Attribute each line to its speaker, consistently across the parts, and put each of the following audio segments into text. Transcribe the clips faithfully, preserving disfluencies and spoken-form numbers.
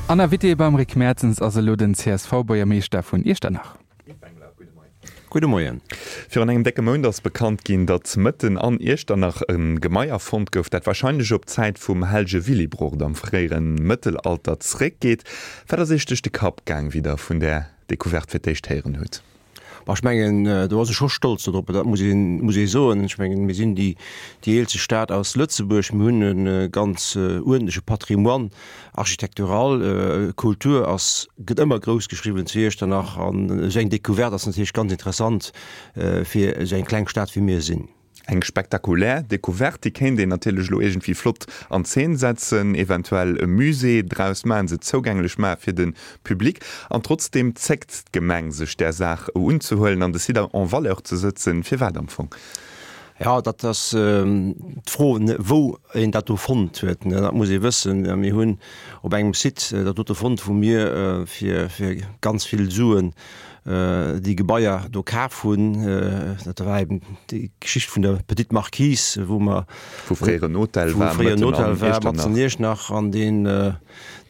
Speaker 1: An Invité beim Rick Mertens ass elo den C S V-Buergermeeschter vun Iechternach.
Speaker 2: Gudde Moien.
Speaker 3: Virun engem décke Mount ass bekannt ginn, datt mëtten an Iechternach e Gemaier fonnt gouf, dat warscheinlech op d'Zäit vum Hellege Willibrord am fréiere Mëttelalter zréckgeet. Wat ass Iech duerch de Kapp gaang, wéi Der vun där Decouverte fir d'éischt héieren hutt?
Speaker 2: Ech mengen, do ass ee scho stolz dodrop, dat muss een, muss ee soen. Ech mengen, mir sinn déi, déi eelste Stad aus Lëtzebuerg, mir hunn e ganz uerdentleche Patrimoine architectural. Kultur ass, gëtt ëmmer grouss geschriwwen zu Iechternach an esou eng Decouverte ass natierlech ganz interessant fir esou eng kleng Stad wéi mir sinn.
Speaker 3: Eng spektakulär Decouverte, déi kéint een natierlech elo iergendwéi flott an Zeen setzen, eventuell e Musée draus maachen, se zougänglech maache fir de Public. An trotzdeem zéckt d'Gemeng sech där Saach unzehuelen an de Site en valeur ze sëtzen. Firwat am Fong?
Speaker 2: Jo, dat ass d'Fro, wou een dat do fonnt huet. Dat muss ee wëssen. Mir hunn op engem Site dat dote fonnt, wou mir fir ganz vill Suen déi Gebaier do kaf hunn. Dat war eben déi Geschicht vun der Petite Marquise, wou mer
Speaker 3: Wou fréier en Hotel
Speaker 2: war, wou fréier en Hotel war, matzen an Iechternach, an deen,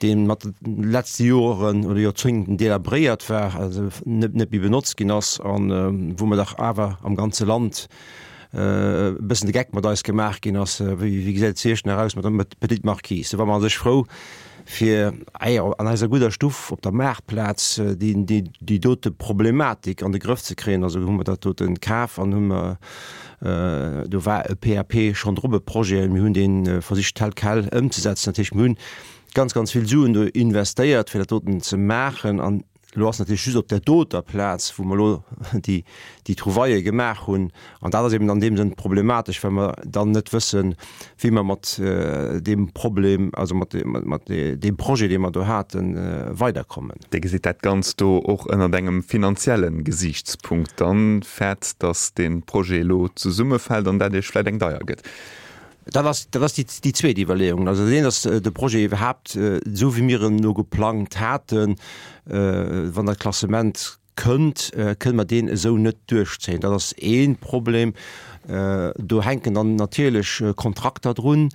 Speaker 2: deen mat de letzte Joren oder Joerzéngten delabréiert war, also net, net méi benotzt ginn ass, an wou mer dach awer am ganze Land e bëssen de Geck mat eis gemaach ginn ass, wéi, wéi gesäit et zu Iechternach aus mat der Petite Marquise. Do war mer a sech frou, fir an eiser gudder Stuff op der Maartplaz déi dote Problematik an de Grëff ze kréien. Also hu mer dat dote kaf an hu mer, do war e P A P schonn drop, e Projet, mir hunn dee versicht tel quel ëmzesetzen. Dat heescht, mir hunn ganz, ganz vill Suen do investéiert, fir dat doten ze maachen, an elo ass natierlech just op där doter Plaz, wou mer elo déi, déi Trouvaille gemaach hunn, an dat ass eben an deem Sënn problematesch, well mer dann net wëssen, wéi mer mat deem Problem, also mat, mat deem Projet, dee mer do haten, weiderkommen.
Speaker 3: Dir gesitt dat Ganzt do och ënnert engem finanzielle Gesiichtspunkt. Dann fäert, datt dee Projet elo zesummefält an dat Iech vläicht eng deier gëtt.
Speaker 2: Dat ass, dat ass déi, déi zweet Iwwerleeung. Also dat eent ass de Projet iwwerhaapt, esou wéi mir en elo geplangt haten, wann dat Klassement kënnt, kënne mer deen esou net duerchzéien. Dat ass ee Problem. Do hänken dann natierlech Kontrakter drun,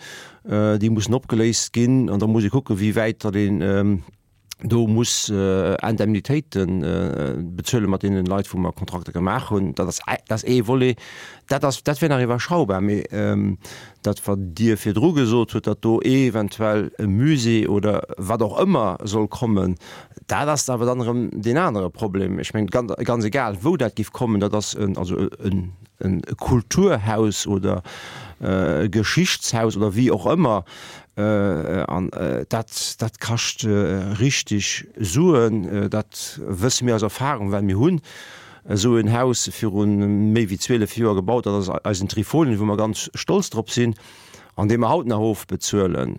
Speaker 2: déi mussen opgeléist ginn, an da muss ee kucken, wéi wäit datt een do muss Indemnitéite bezuele mat deenen Leit, wou mer Kontrakter gemaach hunn. Dat ass, dat ass ee Volet. Dat ass, dat wär nach iwwerschaubar. Mee dat, wat Dir virdru gesot hutt, datt do eventuell e Musée oder wat och ëmmer soll kommen, dat ass awer dann erëm deen anere Problem. Ech mengen, ganz, ganz egal, wou dat géif kommen, dat ass en, also en, en Kulturhaus oder e Geschichtshaus oder wéi och ëmmer, an dat, dat kascht richteg Suen. Dat wësse mir aus Erfahrung, well mir hunn esou en Haus viru méi wéi zwielef Joer gebaut, dat ass eisen Trifolien, wou mer ganz stolz drop sinn an dee mer haut nach ofbezuelen.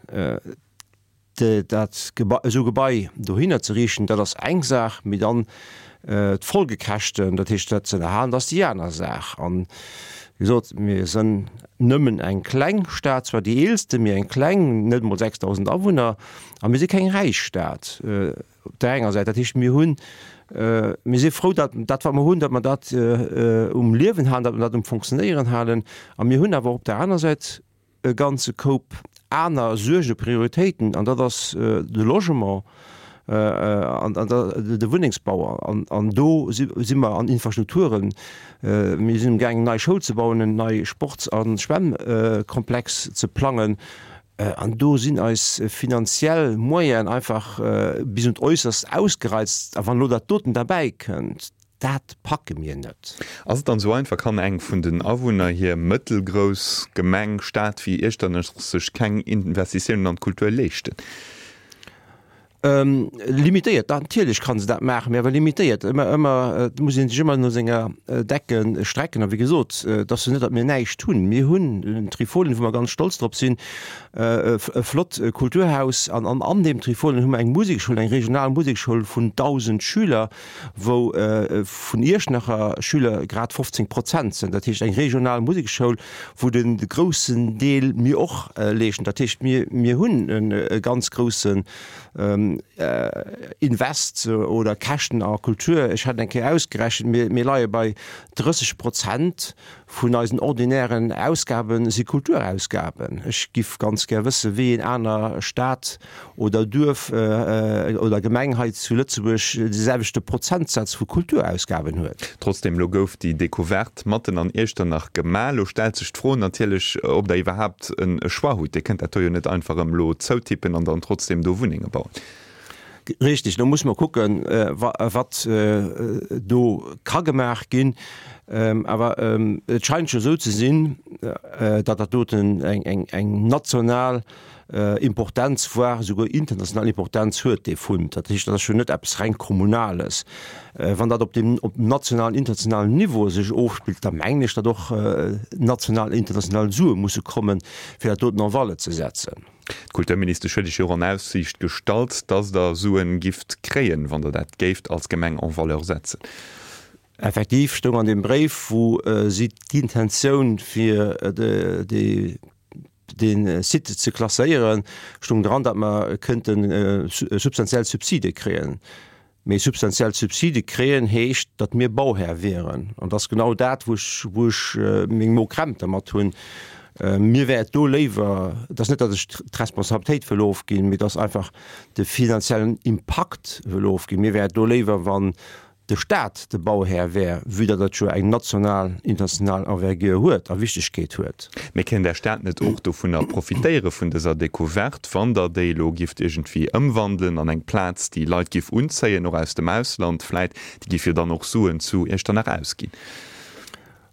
Speaker 2: Dat Gebai, esou Gebai dohinner ze riichten, dat ass eng Saach, mee dann d'Folgekäschten, dat heescht dat ze ënnerhalen, dat ass déi aner Saach. An, wéi gesot, mir sënn nëmmen eng kleng Stad, zwar déi eelste, mee eng kleng, net emol sechsdausend Awunner, a mir si keng räich Stad op där enger Säit. Dat heescht, mir hunn, mir si frou, dat, dat wat mer hunn, datt mer dat um Liewen halen, datt mer dat um Fonctionnéieren halen. A mir hunn awer op där aner Säit e ganze Koup aner Suerge, Prioritéiten, an dat ass de Logement an de Wunnengsbau. An do si mer an Infrastrukturen. Mir sinn amgaangen, eng nei Schoul ze bauen, en nei Sports a Schwämmkomplex ze plangen. An do sinn eis finanziell Moyenen einfach bis un d'Äusserst ausgereizt. A wann elo dat doten derbäi kënnt, dat packe mir net.
Speaker 3: Ass et dann esou einfach, kann eng vun den Awunner hier mëttelgrouss Gemeng, Stad wéi Iechternach sech keng Investitiounen an d'Kultur leeschten?
Speaker 2: Limitéiert, natierlech kann se dat maachen, mee awer limitéiert. Ëmmer, ëmmer, et muss ee sech ëmmer no senger Decke strecken. A wéi gesot, et ass jo net, datt mir näischt hunn. Mir hunn den Trifolien, wou mer ganz stolz drop sinn, e flott Kulturhaus. An an deem Trifolien hu mer eng Musekschoul, eng regional Musekschoul vun dausend Schüler, wou vun Iechternacher Schüler grad fofzéng Prozent sinn. Dat heescht eng regional Musekschoul, wou de groussen Deel mir och leeschten. Dat heescht, mir, mir hunn e ganz groussen Invest oder Käschten a Kultur, ech hat eng Kéier ausgerechent, mir, mir leie bei drësseg Prozent vun eisen ordinären Ausgaben si Kulturausgaben. Ech giff ganz gär wësse wéi een aner Stad oder Duerf oder Gemeng hei zu Lëtzebuerg de selwechte Prozentsaz vu Kulturausgaben huet.
Speaker 3: Trotzdem, elo gouf déi Decouverte matten an Iechternach gemaach. Elo stellt sech d'Fro natierlech, ob Der iwwerhaapt e Choix hutt. Dir kënnt dat do jo net einfach erëm elo zoutippen an dann trotzdem do Wunnenge bauen.
Speaker 2: Richtig, do muss mer kucken, wat do ka gemaach ginn. Awer et scheint jo esou ze sinn, datt dat doten eng national Importenz, voire esouguer international Importenz huet, dee Fund. Dat heescht, dat ass jo net eppes reng Kommunales. Wann dat op deem nationalen, internationalen Niveau sech ofspillt, da mengen ech, datt och national, international Sue musse kommen, fir dat doten en valeur ze setzen.
Speaker 3: D'Kulturministesch huet Iech jo och an Aussiicht gestallt, dass Der Suen gifft kréien, wann Der dat géift als Gemeng en valeur setzen.
Speaker 2: Effektiv stoung an deem Bréif, wou si d'Intentioun fir dee Site ze klasséieren, stoung dran, datt mer kënnte substantiell Subside kréien. Mee substantiell Subside kréien heescht, datt mir Bauhär wieren. An dat ass genau dat, wou ech, wou ech meng Mokrämp dermat hunn. Mir wär et do léiwer, et ass net, datt ech d'Responsabilitéit wëll ofginn, mee et ass einfach de finanziellen Impakt wëll ofginn. Mir wär et do léiwer, wann de Staat de Bauhär wär, vue datt dat jo eng national, international Envergure huet a Wichtegkeet huet.
Speaker 3: Mee kéint Är Stad net och dovunner profitéiere vun dëser Decouverte, wann Der déi elo gifft iergendwéi ëmwandelen an eng Plaz, déi Leit giff unzéien, och aus dem Ausland vläit, déi giff jo dann och Suen zu Iechternach ausginn?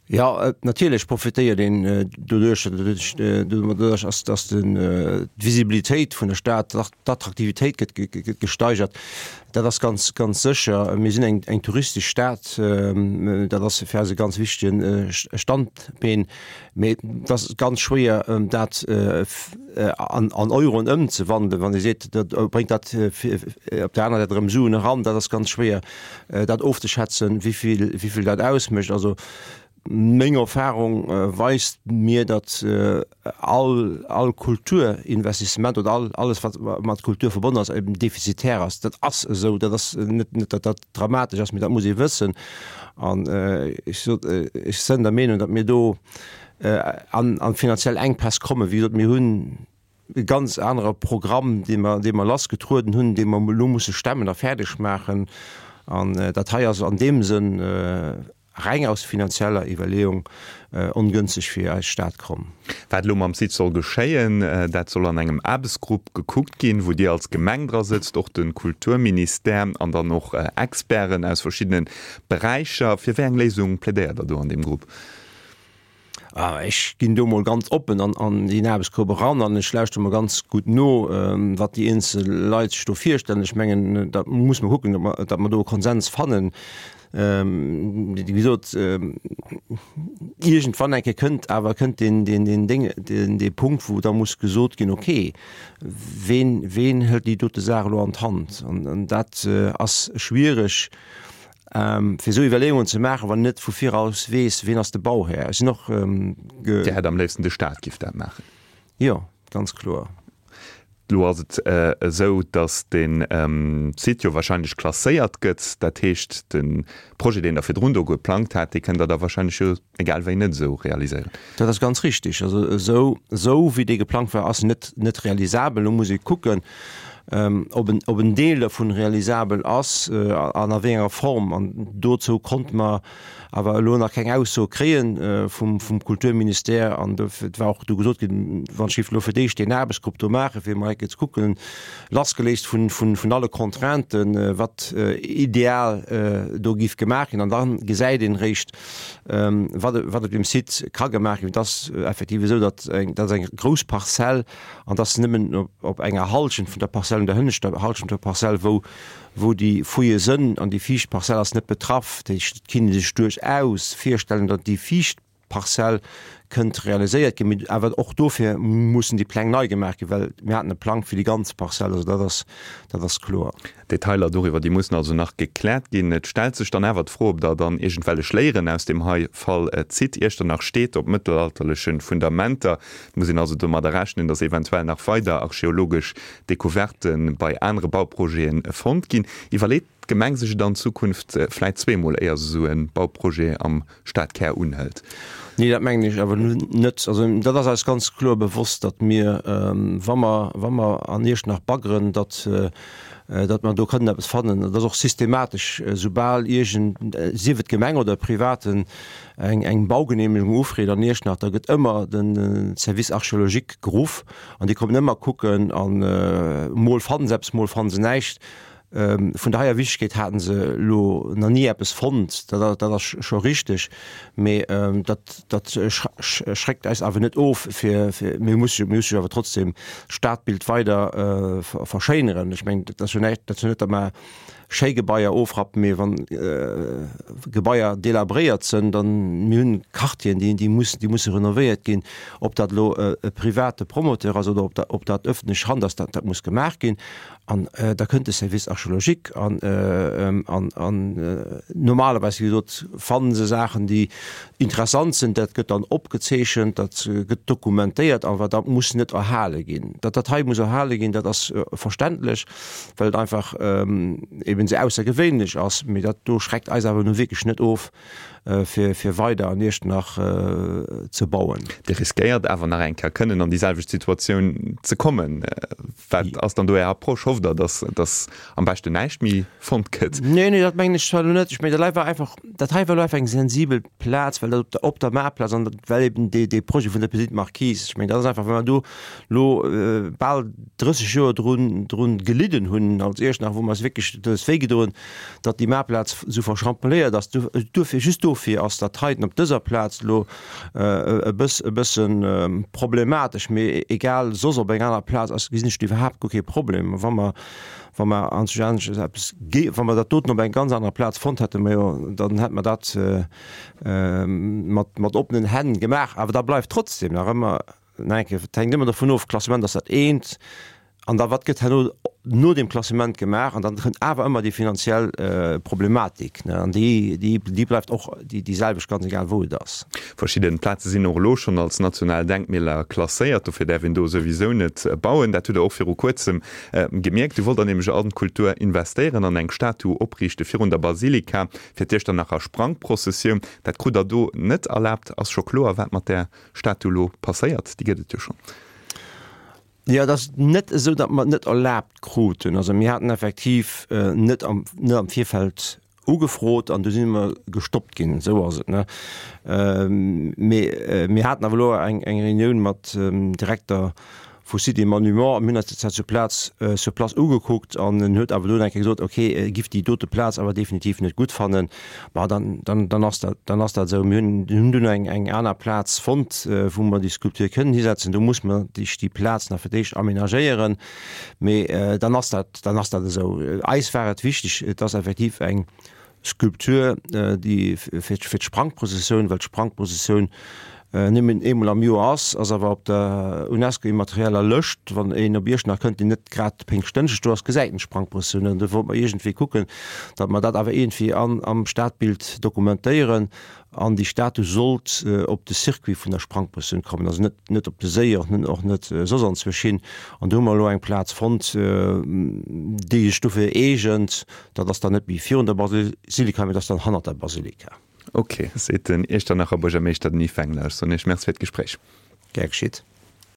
Speaker 2: Jo, natierlech profitéiert een doduerch, doduerch ass, dass d'Visibilitéit vun der Stad, d'Attraktivitéit gëtt gesteigert. Dat ass ganz, ganz sécher. Mir sinn eng, eng touristesch Stad, dat ass fir eis e ganz wichtege Standbeen. Mee et ass ganz schwéier, dat an, an Euroen ëmzewandelen, wann ee seet, dat bréngt dat op der aner Säit erëm Suen eran. Dat ass ganz schwéier, dat ofzeschätzen, wéi vill, wéi vill dat ausmécht. Also Meng Erfahrung weist mir, datt all, all Kulturinvestissement oder all, alles wat mat Kultur verbonnen ass, eben defizitär ass. Dat ass esou, dat ass net, net datt dat dramatesch ass, mee dat muss ee wëssen. An ech sot, ech sënn der Meenung, datt mir do an, an finanziell Enkpäss kommen. Wéi gesot, mir hunn e ganz anere Programm, dee mer, dee mer lassgetrueden hunn, dee mer elo musse stemmen a fäerdeg maachen. An dat hei ass an deem Sënn, Reng aus finanzieller Iwwerleeung ongënsteg fir eis Stad komm.
Speaker 3: Wat elo mam Site soll geschéien, dat soll an engem Aarbechtsgrupp gekuckt ginn, wou Dir als Gemeng dra sëtzt, och de Kulturministère an dann och Experten aus verschiddene Beräicher. Fir wéi eng Léisung plädéiert Der do an deem Grupp?
Speaker 2: Ech ginn do mol ganz oppen an deen Aarbechtsgrupp eran an ech lauschte mol ganz gutt no, wat déi eenzel Leit sech do virstellen. Ech mengen, da muss mer kucken, datt mer do e Konsens fannen. Wéi gesot, iergendwann eng Kéier kënnt awer kënnt deen, deen, deen Déng, deen, dee Punkt, wou da muss gesot ginn, okay, ween, ween hëlt déi dote Saach elo an d'Hand? An dat ass schwiereg, fir esou Iwwerleeungen ze maachen, wann een net vu viraus weess, ween ass de Bauhär. Ech sinn och
Speaker 3: ge. Dir hätt am léifsten, de Staat giff dat maachen?
Speaker 2: Jo, ganz kloer.
Speaker 3: Elo ass et esou, datt de Site jo wahrscheinlech klasséiert gëtt. Dat heescht, de Projet, deen Der virdrun do geplangt hat, dee kënnt Der da wahrscheinlech jo egal wéi net esou realiséieren.
Speaker 2: Dat ass ganz richtig. Also esou, esou wéi dee geplangt war, ass en net, net realisabel. Elo muss ee kucken, ob en, ob en Deel dervun realisabel ass an a wéi enger Form. An dozou konnte mer awer elo nach keng Ausso kréie vum, vum Kulturministère. An dofir, et war och do gesot ginn, wann ech géif elo fir d'éischt deen Aarbechtsgrupp do maachen, fir emol eng Kéier ze kucken, lassgeléist vun, vun, vun alle Contrainten, wat ideal do géif gemaach ginn. An da gesäit een eréischt, wat, wat op deem Site ka gemaach ginn. Et ass effektiv esou, datt eng, dat ass eng grouss Parzell an dass nëmmen op, op enger Hallschent vun der Parzell, un der hënneschter Hallschent vun der Parzell, wou, wou déi Fouillë sënn, an déi viischt Parzell ass net betraff. Dat heescht, et kinnt ee sech duerchaus virstellen, datt déi viischt Parzell kënnt realiséiert ginn. Mee awer och dofir mussen déi Pläng nei gemaach ginn, well mir haten e Plang fir déi ganz Parzell. Also dat ass, dat ass kloer.
Speaker 3: Detailer doriwwer, déi mussen also nach gekläert ginn. Et stellt sech dann awer d'Fro, ob Der dann iergendwellech Léieren aus deem hei Fall zitt. Iechternach steet op mëttelalterleche Fundamenter. Et muss een also domadder rechnen, datt eventuell nach weider archeologesch Decouvertë bei anere Bauprojete fonnt ginn. Iwwerleet d'Gemeng sech et an Zukunft vläit zweemol, éier se esou e Bauprojet am Stadkär unhëlt?
Speaker 2: Nee, dat mengen ech awer net. Also dat ass eis ganz kloer bewosst, datt mir, wa mer, wa mer an Iechternach baggeren, datt, datt mer do kënnen eppes fannen. Dat ass och systematesch, soubal iergend, sief et d'Gemeng oder e Privaten, eng, eng Baugenehmegung ufreet an Iechternach, da gëtt ëmmer de Service archéologique geruff an déi kommen ëmmer kucken an mol fanne se eppes, mol fanne se näischt. Vun der heier Wichtegkeet haten se elo nach ni eppes fonnt, dat ass scho richteg, mee dat dat schreckt eis awer net of fir, mir musse mir musse jo awer trotzdem d'Stadbild weider verschéineren. Ech mengen, dat ass jo näischt, dat ass jo net, datt mer schéi Gebaier ofrappen, mee wann Gebaier delabréiert sënn, dann, mir hunn Quartieren, déi déi mussen déi musse renovéiert ginn, ob dat elo e private Promoteur ass oder ob dat ob dat ëffentlech Hand ass, dat dat muss gemaach ginn. An da kënnt de Service archéologique an an an normalerweis, wéi gesot, fanne se Saachen, déi interessant sinn. Dat gëtt dann opgezeechent, dat gëtt dokumentéiert, awer dat muss net erhale ginn. Datt dat hei muss erhale ginn, dat ass verständlech, well et einfach eben esou aussergewéinlech ass. Mee dat do schreckt eis awer nu wierklech net of, fir fir weider an Iechternach ze bauen.
Speaker 3: Dir riskéiert awer nach eng Kéier kënnen an déi selwecht Situatioun ze kommen. Wat ass dann do Är Approche? Hofft Der, datt datt am beschten näischt méi fonnt gëtt?
Speaker 2: Nee, nee, dat mengen ech zwar elo net. Ech mengen, dat hei war einfach, dat hei war elo einfach eng sensibel Plaz, well dat op der op der Maartplaz an well eben dee dee Projet vun der Petite Marquise, ech mengen, dat ass einfach, well mer do elo bal drësseg Joer drun drun gelidden hunn als Iechternach, wou mer eis wierklech et huet eis wéigedoen, datt déi Maartplaz esou verschrampeléiert ass. Duerfir, just dofir ass dat heiten op dëser Plaz elo e bëss, e bëssen problematesch. Mee egal, soss op eng aner Plaz ass, gesinn ech do iwwerhaapt guer kee Problem. Wa mer, wa mer anscheinend eppes ge, wa mer dat doten op eng ganz aner Plaz fonnt hätten, majo, dann hätte mer dat mat, mat oppenen Hänn gemaach. Awer da bleift trotzdem nach ëmmer, nach eng Kéier, et hänkt ëmmer dovun of, Klassement ass dat eent, An da wat gëtt herno no deem Klassement gemaach? An dann kënnt awer ëmmer déi finanziell Problematik, ne? An déi, déi, déi bleift och déi, déi selwecht, ganz egal wou et ass.
Speaker 3: Verschidden Plaze sinn och elo schonn als national Denkmäler klasséiert, dofir däerf een do souwisou net bauen. Dat hutt Der och viru kuerzem gemierkt. Du wollt der nämlech an d'Kultur investéieren an eng Statu opriichte virun der Basilika fir d'Iechternacher Sprangprozessioun. Dat krut Der do net erlaabt. Ass scho kloer, wat mat där Statu elo passéiert? Déi gëtt et jo schonn.
Speaker 2: Jo, et ass net esou, datt mer et net erlaabt kruten. Also mir haten effektiv net am, net am Virfeld ugefrot an du si mer gestoppt ginn. Esou ass et, ne? Mee mir haten awer elo eng, eng Reunioun mat dem Direkter vu Sites et Monuments a mir hunn eis dat sur place, sur place ugekuckt an en huet awer do eng Kéier gesot, okay, e giff déi dote Plaz awer definitiv net gutt fannen. Ma dann, dann, dann ass dat, dann ass dat esou. Mir hunn, hunn dunn eng, eng aner Plaz fonnt, wou mer déi Skulptur kënnen hisetzen. Do muss mer déi, déi Plaz nach fir d'éischt aménagéieren. Mee dann ass dat, dann ass dat esou. Eis war et wichteg, et ass effektiv eng Skulptur, déi fir, fir d'Sprangprozessioun, well d'Sprangprozessioun nëmmen eemol am Joer ass, ass awer op der UNESCO-immaterieller Lëscht. Wann een op Iechternach kënnt, deen net grad péngschtdënschdeg do ass, gesäit en d'Sprangprëssioun. An do wollte mer iergendwéi kucken, datt mer dat awer iergendwéi an am Stadbild dokumentéieren. An déi Statu sollt op de Circuit vun der Sprangprëssioun kommen, also net net op de Séi, och net och net soss anzwousch hin. An do hu mer elo eng Plaz fonnt, déi sech dofir eegent. Dat ass dann net méi virun der Basilika, mee dat ass dann hannert der Basilika.
Speaker 3: Ok, seet den Iechternacher Buergermeeschter Denis Fengler. Ech soen Iech Merci fir d'Gespréich.
Speaker 2: Gär geschitt.